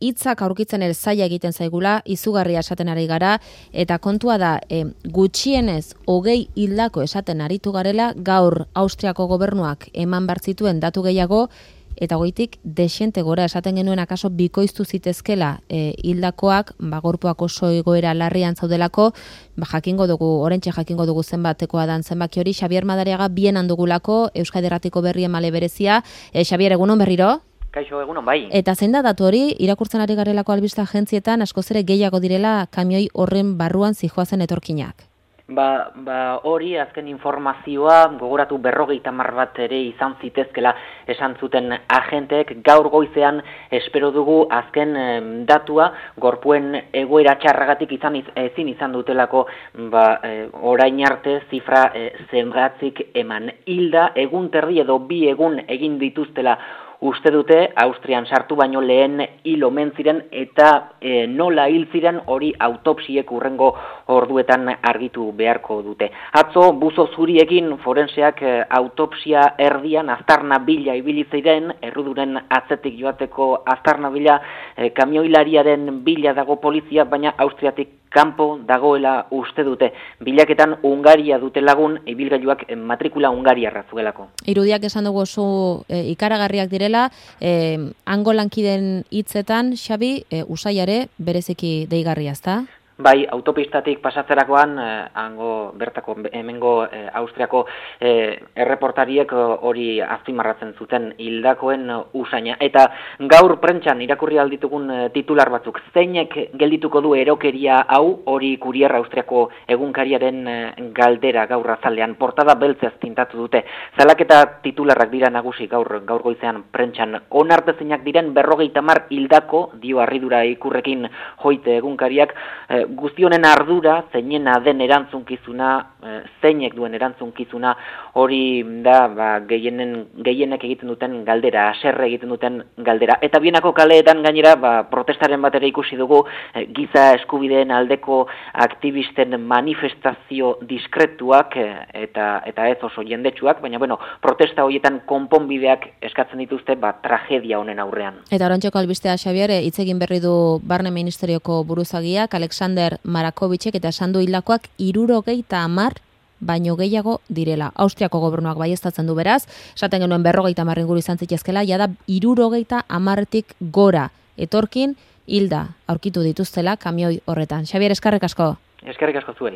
hitzak aurkitzen ere zaila egiten zaigula, izugarria esaten ari gara, eta kontua da, gutxienez 20 hildako esaten aritu garela, gaur Austriako gobernuak eman bartzituen datu gehiago, eta goitik desiente gora esaten genuen akaso bikoiztu zitezkela hildakoak, gorpuak oso egoera larrian zaudelako, jakingo dugu, orentxe jakingo dugu zenbatekoa dan zenbaki hori. Xabier Madariaga bienan dugulako, Euskadi Irratiko berri emale berezia. Xabier, egunon berriro? Kaixo, egunon bai. Eta zein da datu hori, irakurtzen ari garelako albiste agentzietan, askoz ere gehiago direla kamioi horren barruan zijoazen etorkinak. Hori azken informazioa gogoratu 50 bat ere izan zitezkela esan zuten agenteek. Gaur goizean espero dugu azken datua gorpuen egoera txarragatik ezin izan dutelako orain arte zifra zenbatzik eman. Hilda egun terdi edo 2 egun egin dituztela uste dute, Austrian sartu baino lehen hil omen ziren eta nola hil ziren hori autopsiek hurrengo orduetan argitu beharko dute. Atzo buzo zuriekin forenseak autopsia erdian aztarna bila ibili ziren, erruduren atzetik joateko aztarna bila, kamioilariaren bila dago polizia, baina Austriatik kanpo dagoela uste dute. Bilaketan Hungaria dute lagun, ibilgailuak matrikula hungariarra zuelako. Irudiak esan dugu oso ikaragarriak direla, hango lankiden hitzetan, Xabi, usaiare bereziki deigarria, ezta? Bai, autopistatik pasatzerakoan, hemengo Austriako erreportariek hori azpimarratzen zuten hildakoen usaina. Eta gaur prentsan irakurri alditugun titular batzuk, zeinek geldituko du erokeria hau, hori Kurier Austriako egunkariaren galdera gaur azalean, portada beltzez tintatu dute. Zalaketa titularrak dira nagusi gaur goizean prentsan. Onartezinak diren 50 hildako, dio harridura ikurrekin joite egunkariak, guztionen ardura, zeinena den erantzunkizuna, zeinek duen erantzunkizuna, hori da gehienek egiten duten galdera, haserre egiten duten galdera. Eta bienako kaleetan gainera, protestaren batera ikusi dugu, giza eskubideen aldeko aktivisten manifestazio diskretuak, eta ez oso jendetsuak, baina protesta horietan konponbideak eskatzen dituzte, tragedia honen aurrean. Eta orantxeko albistea, Xabier, hitz egin berri du Barne Ministerioko buruzagiak, Alexander Marakovicek, eta esan du hildakoak 70 baino gehiago direla. Austriako gobernuak baieztatzen du beraz, esaten genuen 50 inguru izan zitezkela, jada 70tik gora etorkin hilda aurkitu dituztela kamioi horretan. Xabier, eskerrik asko. Eskerrik asko zuei.